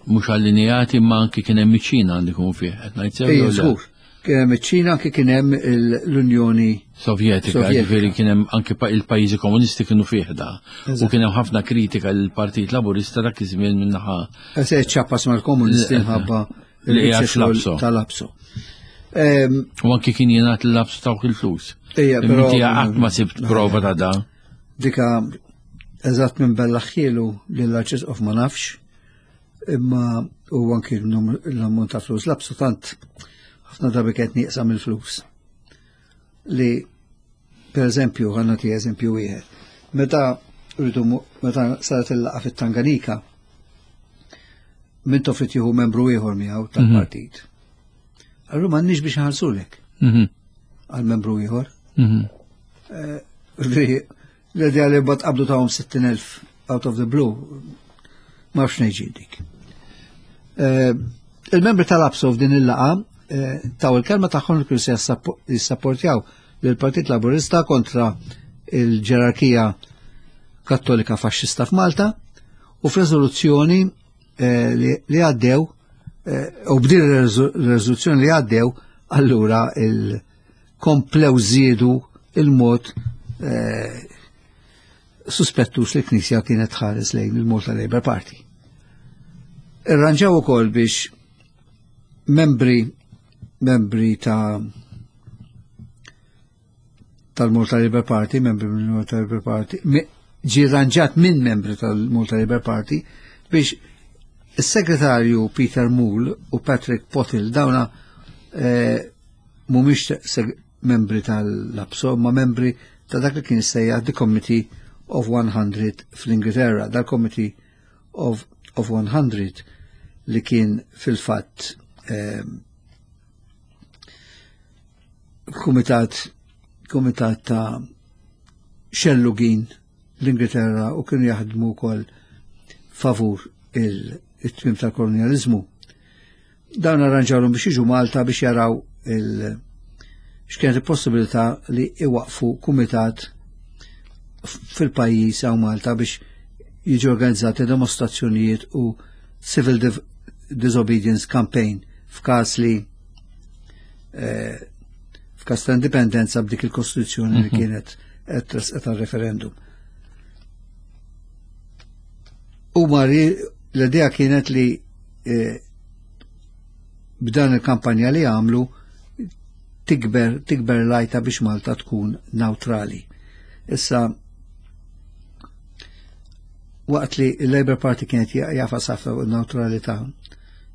mhux allineati ma anki kien hemm iċ-Ċina għandi kun fih. Qed ngħid sew Ejja, jew le? żgur. Kien hemm iċ-Ċina, anke kien hemm il- l-Unjoni Sovjetika, Sovjetika. ġifieri kien hemm anke pa- il-pajjiżi komunisti kienu fih da. U Eżatt. kien hemm ħafna kritika lill-Partit Laburista dak iż-żmien minnaħa Se ċappas mal-komunisti Le- mħabba li hija il-biċċa xogħol fl-APSO. tal-APSO. U anki kien jingħad l-labs tawk il-flus. Ija, però. Inti qatt ma sibt prova ta' da. Dika eżatt minn bellaħħielu lill-Arċisqof ma nafx, imma u anki l-ammont ta' flus labsu tant ħafna drabi kienet nieqsa mill-flus. Li, per eżempju, ħa nagħti eżempju wieħed. Meta rridu meta saret il-laqgħa fit-Tanganika, Mintoff irid jieħu membru ieħor miegħu tal-partit. Allura m'għandniex biex nħallsulek għal membru ieħor. L-idea li bat qabdu tawhom sittin elf out of the blue, ma nafx ngħid dik. Il-membri tal-ABSO f'din il-laqgħa taw il-kelma tagħhom li kienu se jissapportjaw lill-Partit Laburista kontra il-ġerarkija Kattolika Faxxista f'Malta u f'reżoluzzjoni li għaddew u b'din ir-reżoluzzjoni li għaddew, allura il-komplew żiedu il-mod suspettus li Knisja kienet ħares lejn il-Malta Labour Party. Irranġaw ukoll biex membri membri ta' tal-Malta Labour Party, membri mill-Malta Labour Party, ġi rranġat minn membri tal-Malta Labour Party biex is-segretarju Peter Moule u Patrick Pottle, dawna eh, mhumiex membri tal-ABSO, ma membri ta' dak li kien sejjaħ The Committee of one hundred fl-Ingilterra, dal-Committee of, of one hundred li kien fil-fatt eh, kumitat kumitat ta' xellugin l-Ingilterra u kienu jaħdmu wkoll favur il-tmim tal-kolonializmu. Dawn arranġawlhom biex jiġu Malta biex jaraw il- x'kienet il-possibilità li iwaqfu kumitat fil-pajjiż hawn Malta biex jiġu organizzati demonstrazzjonijiet u civil disobedience campaign f'każ li eh, f'każ ta' indipendenza b'dik il-Kostituzzjoni li mhm. kienet qed referendum. U mari l-idea kienet li eh, b'dan il-kampanja li għamlu tikber tikber lajta biex Malta tkun neutrali. Issa, waqt li il-Labour Party kienet jafa safra neutralità,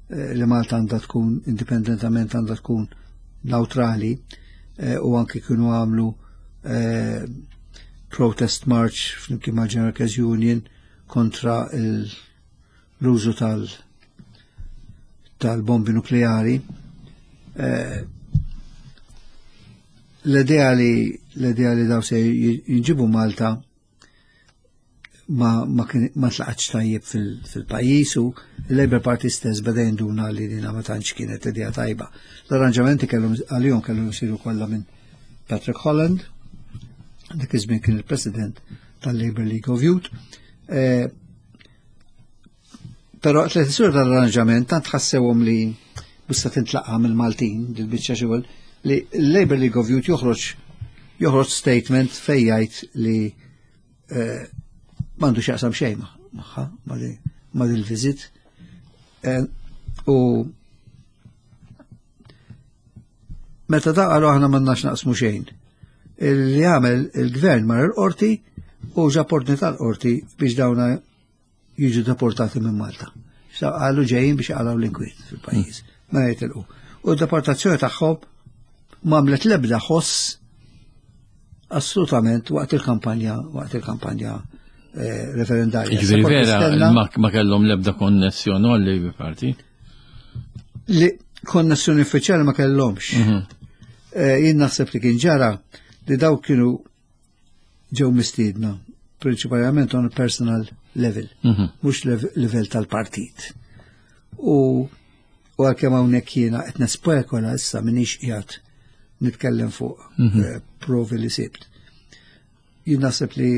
eh, li Malta għandha tkun indipendentament, għandha tkun neutrali, eh, u anki kienu għamlu eh, protest march flimkien ma' General Workers Union kontra l-użu tal tal-bombi nukleari. L-idea li l-idea li daw se jinġibu Malta ma ma, ma tlaqatx tajjeb fil-pajjiż u il-Labour Party stess beda jinduna li dina ma tantx kienet idea tajba. L-arranġamenti kellhom għalihom kellhom jsiru kollha minn Patrick Holland, dak iż-żmien kien il-President tal-Labour League of Youth. Eh, però tliet isur tal-arranġament tant ħassewhom li bista tintlaqa mill-Maltin dil-biċċa xogħol li l-Labour League of Youth joħroġ joħroġ statement fejn jgħid li eh, m'għandu x'jaqsam xejn magħha ma' dil-visit. Eh, u meta da qalu aħna m'għandnax naqsmu xejn. Li għamel il-gvern mar il-qorti u ġab ordni tal-qorti biex dawna jiġu deportati minn Malta. Qalu ġejjin biex jaqalgħu l-inkwiet fil-pajjiż. Ma jitilqu. U d-deportazzjoni tagħhom m'għamlet l-ebda ħoss assolutament waqt il-kampanja waqt il-kampanja eh, referendarja. Ġifieri vera ma kellhom l-ebda konnessjoni għal-Labour Party? Li konnessjoni uffiċjali ma kellhomx. Mhm. Eh, jien naħseb li kien ġara li daw kienu ġew mistiedna prinċipalment on a personal level, mhm. mhux level tal-partit. U u għalkemm hawnhekk jiena qed nespekola issa, m'iniex qiegħed nitkellem fuq mhm. eh, provi li sibt. Jien naħseb li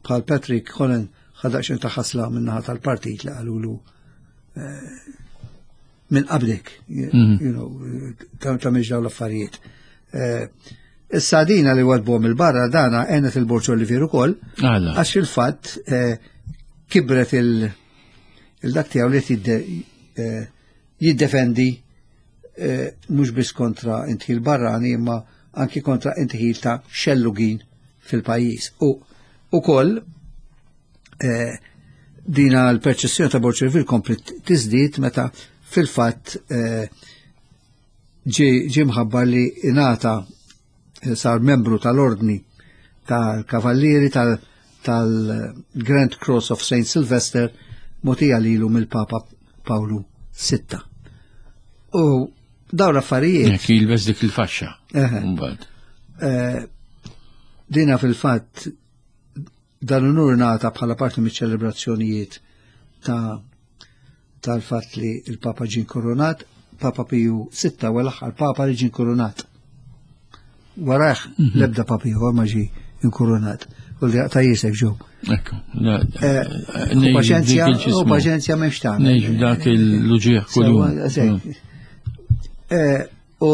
bħal Patrick Holland ħa daqsxejn ta' ħasla min-naħa tal-partit li qalulu eh, minn qablek, mhm. you know, ta' dawn l-affarijiet. Eh, issa dina li wadbuhom il-barra dana għenet il-Borg Olivier ukoll, għax fil-fatt kibret il- il-dak tiegħu li jiddefendi eh, mhux biss kontra indħil barrani imma anki kontra indħil ta' xellugin fil-pajjiż. U ukoll eh, dina l-perċezzjoni ta' Borg Olivier komplet tiżdied meta fil-fatt eh, ġie mħabbar li ingħata eh, sar membru tal-ordni tal-Kavallieri tal-Grand Cross of Saint Sylvester mogħtija lilu mill-Papa Pawlu Sitta. U dawn l-affarijiet. Jekk jilbes dik il-faxxa. Mbagħad. Eh, dina fil-fatt dan unur ngħata bħala parti miċ-ċelebrazzjonijiet ta' tal-fatt li il-Papa ġie inkurunat, Papa Piju Sitta u l-aħħar Papa li ġie inkurunat. Warajh mhm. l-ebda Papa ieħor ma ġie inkurunat. U li ta' jisek ġew. Ekku. Eh, paċenzja, u paċenzja m'hemmx tagħmel. Ngħix dak il-luġieħ kuljum. Eh, u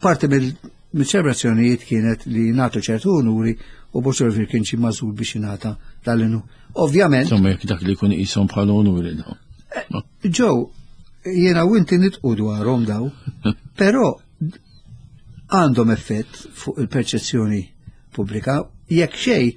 parti mill-ċelebrazzjonijiet kienet li nagħtu ċertu unuri u Borg Olivier kien xi magħżul biex jingħata dal-inu. Ovvjament. Insomma, jekk dak li jkun qishom bħala unuri. Eh, Ġew, jiena u inti nidħku dwarhom daw, però għandhom effett fuq il-perċezzjoni pubblika, jekk xej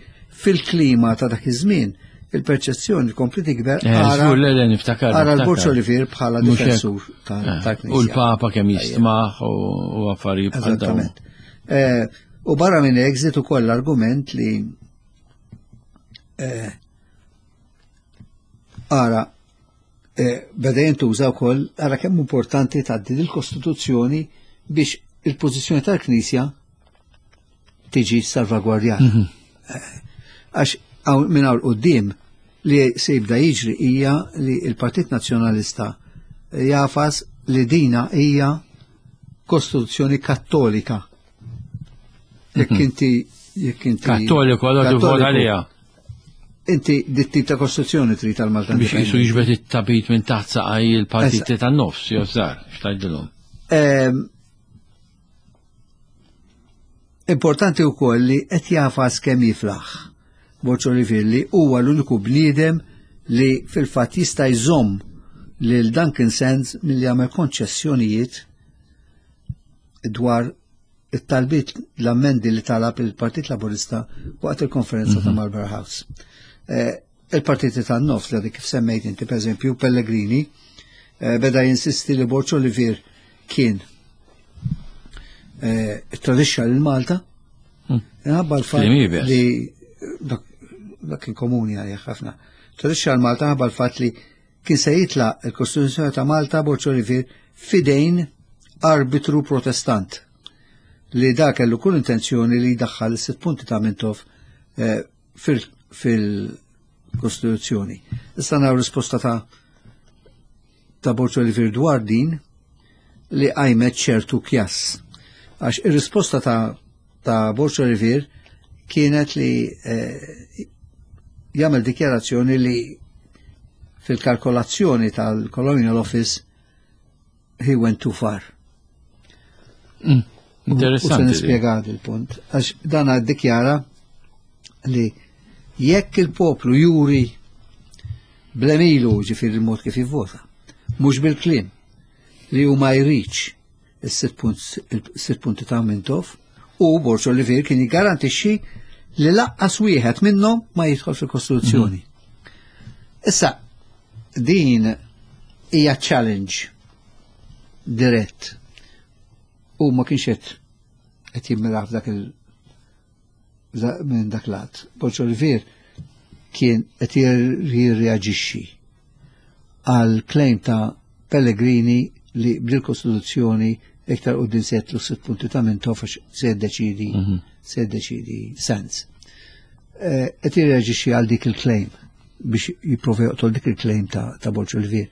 fil-klima ta' dak iż-żmien il-perċezzjoni kompli tikber eh, ara l-Borg Olivier bħala difensur tal-Knisja. U l-Papa kemm jistmaħ u affarijiet bħal dawn. Eh, u barra minn hekk żied ukoll l-argument li eh, ara beda jintuża wkoll ara kemm importanti tgħaddi il-Kostituzzjoni biex il-pożizzjoni tal-Knisja tiġi salvagwardjata. Mhm. Għax minn hawn quddiem li se jibda jiġri hija li il-Partit Nazzjonalista jagħfas li dina hija Kostituzzjoni Kattolika. Jekk mhm. inti jekk inti Kattoliku allora tivvota għaliha. Inti dit-tip ta' Kostituzzjoni trid tal-Malta. Biex jisu jiġbed it-tapit minn taħt saqaj il-partiti tan-nofs, jew żgħar, x'tgħidilhom. Ehm, importanti wkoll li qed jagħfas kemm jiflaħ. Borg Olivier li huwa l-uniku bniedem li fil-fatt jista' jżomm lil Duncan Sands milli jagħmel konċessjonijiet dwar it-talbiet l-ammendi li talab il-Partit Laburista waqt il-konferenza ta' mhm. Marlborough House. Eh, il-partiti tan-nofs li kif semmejt inti, per eżempju, Pellegrini, eh, beda jinsisti li Borg Olivier kien eh, tradixxa lil Malta, hmm. minħabba l-fatt li dak kien komuni għalih ħafna. Tradixxa lil Malta ħabba l-fatt li kien se jitlaq il-Kostituzzjoni ta' Malta Borg Olivier fidejn arbitru protestant li da kellu kull intenzjoni li jdaħħal sitt punti ta' Mintoff eh, fil-Kostituzzjoni. Issa naraw risposta ta' ta' Borg Olivier dwar din li qajmet ċertu kjass. Għax ir-risposta ta' ta' Borg Olivier kienet li eh, jagħmel dikjarazzjoni li fil-kalkolazzjoni tal-Colonial Office he went too far. Mm, interessanti. U se nispjega il-punt. Għax dan dikjara li jekk il-poplu juri bl-għemil, ġifieri il-mod kif jivvota, mhux bil-kliem li hu ma jridx is-sitt punti ta' Mintoff u Borg Olivier kien jiggarantixxi li lanqas wieħed minnhom ma jidħol fil-Kostituzzjoni. Mhm. Issa, din hija challenge dirett u ma kienx qed qed jimmiraħ f'dak il minn dak lat. Borg Olivier kien qed jirreaġixxi għal claim ta' Pellegrini li bil-Kostituzzjoni iktar quddiem se jitlu sitt punti ta' Mintoff għax se jiddeċidi mhm. se jiddeċidi Sands. Eh, qed jirreaġixxi għal dik il-claim biex jipprova joqtol dik il-claim ta', ta Borg Olivier.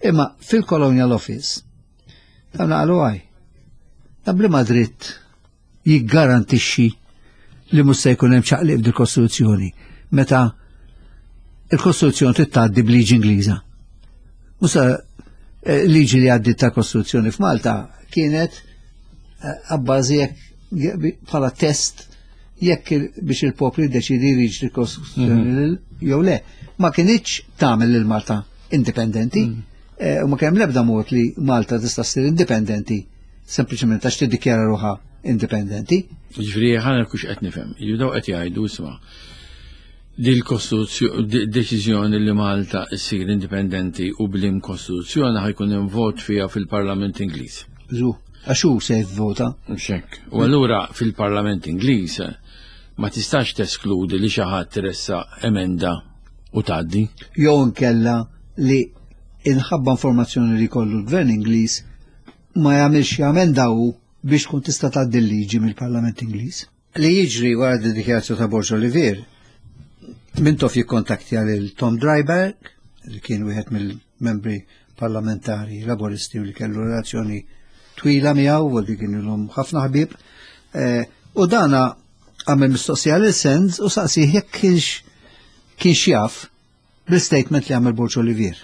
Imma fil-Colonial Office, ta' naqalu għaj. Ta' b'liema dritt jiggarantixxi li mhux se jkun hemm ċaqliq f'dil-Kostituzzjoni meta il-Kostituzzjoni trid tgħaddi b'liġi Ingliża. Musa eh, liġi li għaddit ta' Kostituzzjoni f'Malta kienet eh, abbażi bħala test jekk biex il-poplu jiddeċidi jriġ il-Kostituzzjoni mhm. jew le. Ma kinitx tagħmel lil Malta indipendenti mhm. eh, u ma kemm l-ebda mod li Malta tista' ssir indipendenti sempliċement għax tiddikjara ruħha indipendenti. Ġifieri ħa nkun qed nifhem. Jibdew qed jgħidu, isma', di l-kostituzzjoni, deċiżjoni li Malta ssir indipendenti u b'liema kostituzzjoni ħa jkun hemm vot fiha fil-Parlament Ingliż. Zu, għax hu se jivvota. Xek. U allura fil-Parlament Ingliż ma tistax teskludi li xi ħadd tressaq emenda u tgħaddi. Jew inkella li inħabba informazzjoni li kollu l-Gvern Ingliż ma jagħmilx emenda hu biex tkun tista' tgħaddi l-liġi mill-Parlament Ingliż. Li jiġri wara d-dikjarazzjoni ta' Borg Olivier, Mintoff jikkontaktja lil Tom Driberg, li kien wieħed mill-membri parlamentari Laboristi u li kellu relazzjoni twila miegħu u li kien ilhom ħafna ħbieb. Eh, u dana għamel mistoqsija lil Sands u saqsih jekk kienx kienx jaf bl-statement li għamel Borg Olivier.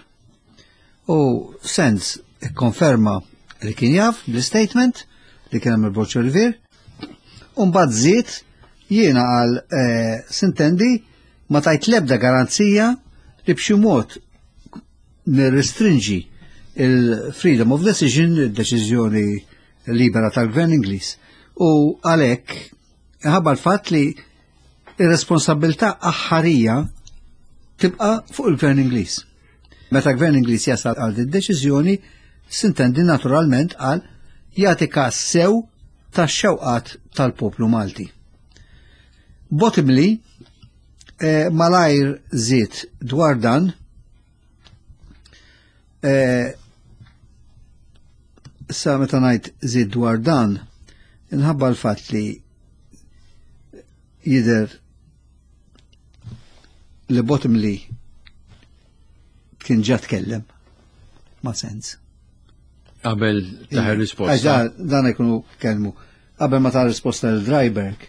U Sands ikkonferma li kien jaf bl-statement li kien għamel Borg Olivier. U mbagħad żied, jiena għal eh, s'intendi ma tajt lebda garanzija li b'xi mod nirrestrinġi il-freedom of decision, il-deċiżjoni libera tal-Gvern Ingliż. U għalhekk ħabba l-fatt li ir-responsabilità aħħarija tibqa' fuq il-Gvern Ingliż. Meta Gvern Ingliż jasal għal din deċiżjoni, s'intendi naturalment għal jagħti każ sew tax-xewqat tal-poplu Malti. Bottomley eh, malajr żied dwar dan eh, sa meta ngħid żied dwar dan, inħabba l-fatt li jidher li Bottomley kien ġa tkellem ma' Sands. Qabel taħ Għax risposta. Dan dan ikunu kelmu. Qabel ma ta' risposta l Driberg,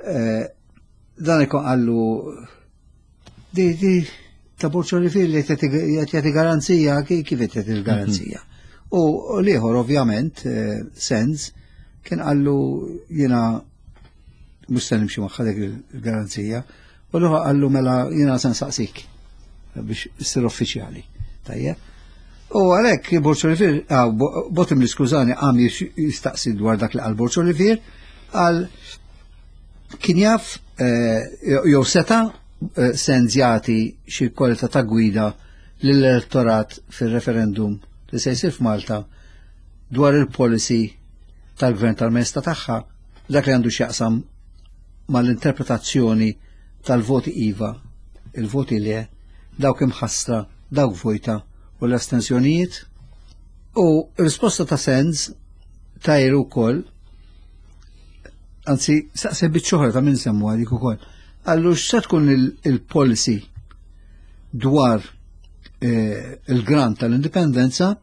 eh, dan ikun qallu di di ta' Borg Olivier li qed jagħti garanzija, kif qed jagħti l-garanzija. U l-ieħor ovvjament, eh, Sands, kien qallu jiena mhux se nimxi magħha dik il-garanzija. U l-ieħor qallu mela jiena se nsaqsik biex issir uffiċjali. Tajjeb. U għalhekk Borg Olivier, ah, Bottomley, skużani, għam jistaqsi dwar dak li qal Borg Olivier, għal kien jaf eh, jew seta eh, Sands jagħti xi kwalità ta' gwida lill-elettorat fil-referendum li se jsir f'Malta dwar il-policy tal-gvern tal-Maestà Tagħha, dak li għandu x'jaqsam mal-interpretazzjoni tal-voti iva, il-voti le, dawk imħassra, dawk vojta u l-astensjonijiet. U risposta ta' Sands tajru wkoll, anzi, saqsi biċċoħra ta' minn semmu għalik ukoll. Qallu x'se tkun il-policy dwar eh, il-grant tal-indipendenza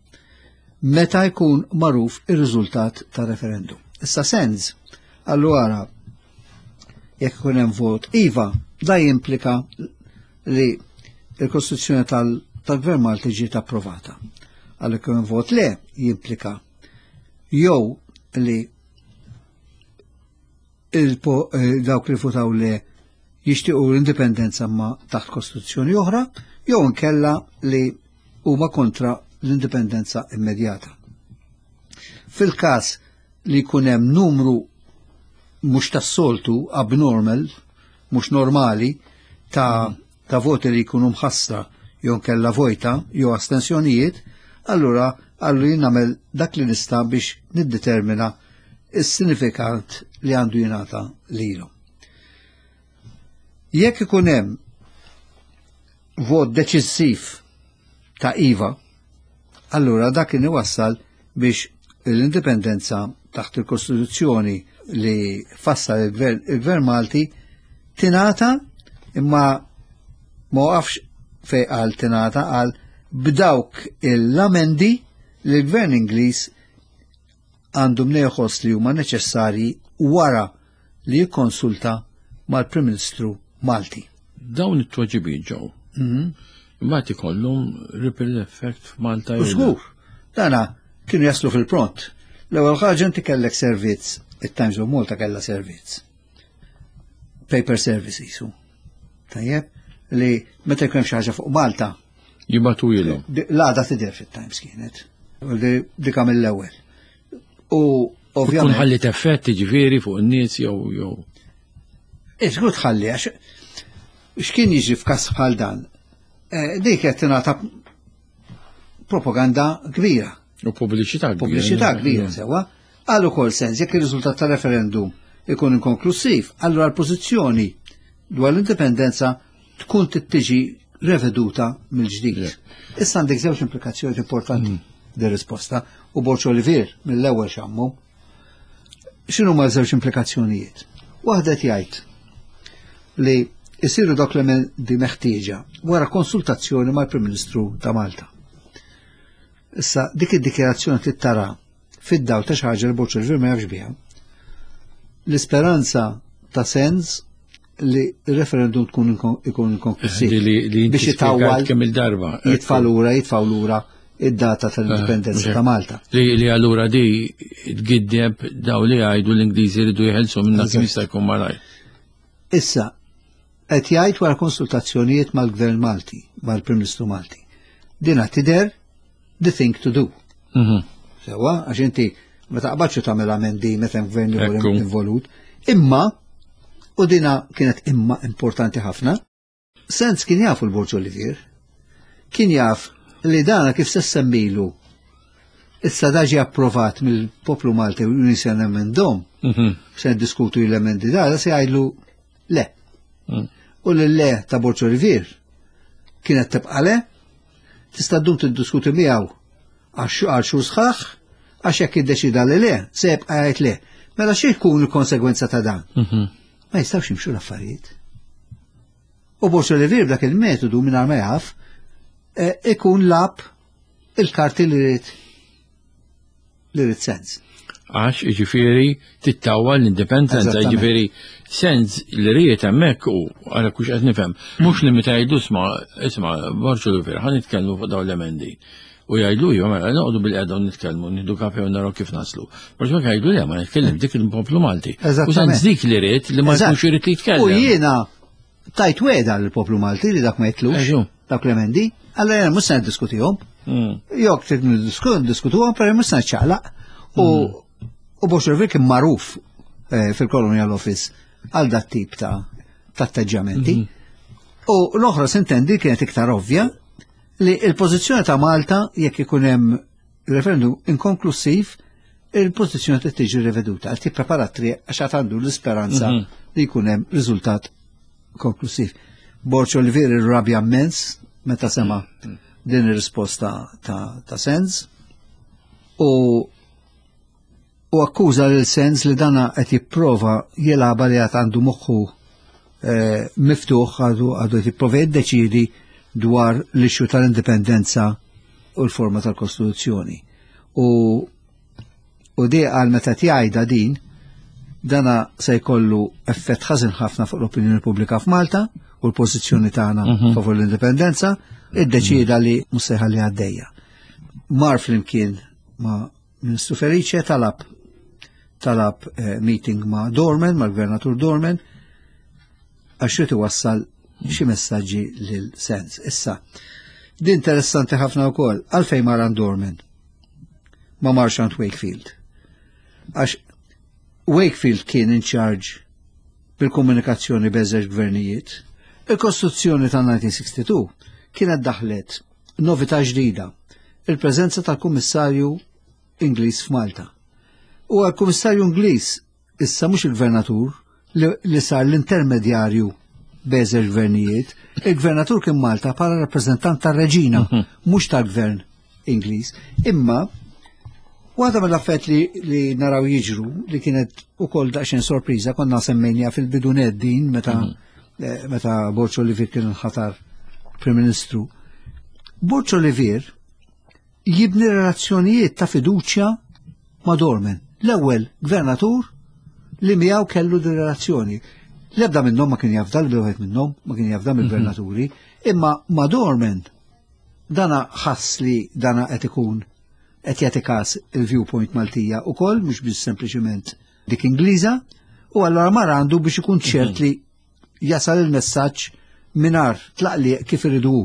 meta jkun magħruf ir-riżultat ta' referendum. Issa Sands qallu ara, jekk ikun hemm vot iva, da jimplika li il-Kostituzzjoni tal-Gvern Malti ġiet approvata. Għalhekk hemm vot le jimplika jew li eh, dawk li votaw le jixtiequ l-indipendenza ma taħt kostituzzjoni oħra, jew inkella li huma kontra l-indipendenza immedjata. Fil-każ li jkun hemm numru mhux tas-soltu, abnormal, mhux normali, ta', ta' voti li jkunu mħassra jew kella vojta jew astensjonijiet, allura għallu jien nagħmel dak li nista' biex niddetermina is-sinifikat li għandu jingħata lilhom. Jekk ikun hemm vot deċiżiv ta' iva, allura dak kien iwassal biex l-indipendenza taħt il-Kostituzzjoni li fassal il-Gvern il-Gvern Malti tingħata, imma ma waqafx fej qal tingħata, qal b'dawk l-amendi li l-Gvern Ingliż għandu mnejn li huma neċessarji wara li jikkonsulta mal-Prim Ministru Malti. Dawn it-tweġibiet ġew. Mhm. Imbagħad ikollhom ripple effect f'Malta. U żgur, dana kienu jaslu fil-pront. L-ewwel ħaġa, inti kellek servizz, it-Times of Malta kellha servizz. Paper service jisu. Tajjeb, li meta jkun hemm xi ħaġa fuq Malta, Jibagħtu ilhom. di- l-għada tidher fit-Times kienet. U di- Dika mill-ewwel. U ovvjament. Tkun ħallit effetti ġifieri fuq in-nies jew jew. Iżgur tħalli għax x'kien jiġri f'każ bħal dan? Dik qed tingħata propaganda kbira. U pubbliċità kbira. Pubbliċità kbira sewwa. Għal ukoll sens jekk ir-riżultat tar-referendum ikun inkonklusiv, allura l-pożizzjoni dwar l-indipendenza tkun tiġi reveduta mill-ġdid. Issa għandek żewġ implikazzjoni importanti din risposta u Borg Olivier mill-ewwel xammu. X'inhu ma żewġ implikazzjonijiet? Waħda jgħid li jsiru dawk l-emendi meħtieġa wara konsultazzjoni mal-Prim Ministru ta' Malta. Issa dik id-dikjarazzjoni tittara fid-dawl ta' xi ħaġa li Borg Olivier ma jafx biha. L-isperanza ta' Sands li il-referendum tkun ikun inkonklusiv. Biex jitawwal kemm il-darba. Jitfa' lura, jitfgħu lura id-data tal-indipendenza ta' Malta. Li allura di tgiddeb daw li jgħidu l-Ingliżi jridu jeħelsu minna kemm jista' jkun malajr. Issa, qed jgħid wara konsultazzjonijiet mal-Gvern Malti, mal-Prim Ministru Malti. Dina tidher the thing to do. Sewwa, għax inti ma taqbadx tagħmel amendi meta hemm gvern ieħor involut. Imma u dina kienet imma importanti ħafna. Sands kien jafu l-Borg Olivier, kien jaf li dana kif se semmilu issa daġi approvat mill-poplu Malti u nisa nemendhom, se diskutu l-emendi da, se jgħidlu le. U l-le ta' Borg Olivier kienet tibqa' le, tista' ddum tiddiskuti miegħu għal xhur sħaħ, għax jekk iddeċida li le, se jibqa' jgħid le. Mela xi jkun il-konsegwenza ta' dan? Ma jistgħux jimxu l-affarijiet. U Borg Olivier b'dak il-metodu mingħajr ma jaf ikun lab il-karti li rrid li rrid Sands. Għax jiġifieri tittawwa l-indipendenza, jiġifieri Sands li ried hemmhekk u għara kux qed nifhem, mhux li meta jgħidu isma' isma' Borg Olivier ħa nitkellmu fuq dawn l-emendi. U jgħidu iva mela noqogħdu bil-qiegħda u nitkellmu, nieħdu kafe u naraw kif naslu. Borg jgħidu le ma nitkellem dik il-poplu Malti. U Sands dik li ried li ma jkunx irid li jitkellem. U jiena tajt weda lill-poplu Malti li dak ma jitlux, dak l-emendi, allora jiena mhux se niddiskutihom. Jekk trid niddiskutuhom, però mhux se niċċaqlaq. U U Borg Olivier kien magħruf fil-Colonial Office għal dat tip ta' atteġġjamenti. U l-oħra sintendi kienet iktar ovvja li il-pożizzjoni ta' Malta jekk ikun hemm referendum inkonklusiv, il-pożizzjoni trid tiġi riveduta. Għal tipprepara triq għax għad għandu l-isperanza li jkun hemm riżultat konklusiv. Borg Olivier irrabja immens meta sema din ir-risposta ta' Sands u u akkuża lil Sands li dana qed jipprova jilgħabha li għad għandu moħħu miftuħ għadu għadu qed jipprova jiddeċiedi dwar l-issue tal-indipendenza u l-forma tal-Kostituzzjoni. U u di għal meta tgħidha din dana se jkollu effett ħażin ħafna fuq l-opinjoni pubblika f'Malta u l-pożizzjoni tagħna favur l-indipendenza, iddeċieda li mhux se jħalli għaddejja. Mar flimkien ma' Ministru Felice talab talab meeting ma' Dorman, mal-Gvernatur Dorman, għax irid iwassal xi messaġġi lil Sands. Issa, din interessanti ħafna wkoll, għalfejn mar għand Dorman ma marx għand Wakefield. Għax Wakefield kien in charge bil-komunikazzjoni bejn gvernijiet. Il-Kostituzzjoni ta' nineteen sixty-two kienet daħlet novità ġdida, il-preżenza tal-Kummissarju Ingliż f'Malta. U għal-Kummissarju Ingliż issa mhux il-Gvernatur li, li sar l-intermedjarju bejn gvernijiet, il-Gvernatur kien Malta bħala rappreżentant tar-Reġina, mhux tal-Gvern Ingliż. Imma waħda mill-affett li, li naraw jiġru li kienet ukoll daqsxejn sorpriża, konna semmejnija fil-bidu din meta eh, meta Borg Olivier kien ħatar Prim Ministru. Borg Olivier jibni relazzjonijiet ta' fiduċja ma' Dorman, l-ewwel gvernatur li miegħu kellu di relazzjoni. L-ebda minnhom ma kien jafda, l-ebda wieħed minnhom ma kien jafda mill-gvernaturi, imma ma' Dorman dana ħass li dana qed ikun qed jagħti każ il-viewpoint Maltija ukoll, mhux biss sempliċiment dik Ingliża, u allura mar għandu biex ikun ċert li jasal il-messaġġ mingħajr tlaqliq kif iridu hu.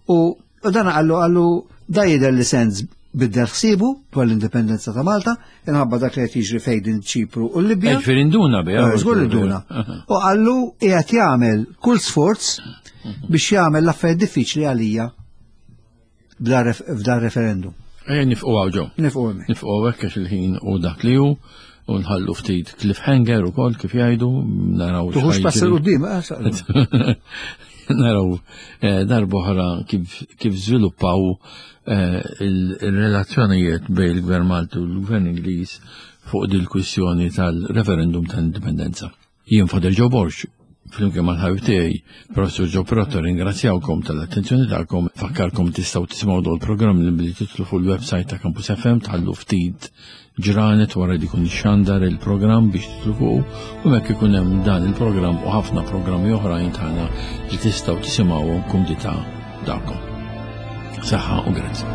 U dana qallu qallu da jidher li Sands Biddel ħsiebu dwar l-indipendenza ta' Malta, inħabba dak li qed jiġri fejn Ċipru u l-Libja. Ġifieri induna biha. Eh, żgur induna. U qallu qiegħed jagħmel kull sforz biex jagħmel l-affarijiet diffiċli għalija f'dan referendum. Ejja nifqu hawn ġew. Nifqu hemmhekk. Nifqu hawnhekk għax il-ħin u dak li hu u nħallu ftit cliffhanger ukoll kif jgħidu naraw. Tuħux pass 'il quddiem, eh, Naraw eh, darb'oħra kif kif żviluppaw eh, il-relazzjonijiet bejn il-Gvern Malti u l-Gvern Ingliż fuq dil-kwistjoni tal-referendum tal-indipendenza. Jien Father Joe Borg, flimkien mal-ħabib tiegħi, Professor Joe Perotto, ringrazzjawkom tal-attenzjoni tagħkom, fakkarkom tistgħu tisimgħu dol programm li billi titlu fuq il-website ta' Campus F M, tħallu ftit ġranet wara li jkun xandar il-programm biex titlu fuq u hekk ikun hemm dan il-programm u ħafna programmi oħrajn tagħna li tistgħu tisimgħuhom kumdità tagħkom. Saħħa u grazzi.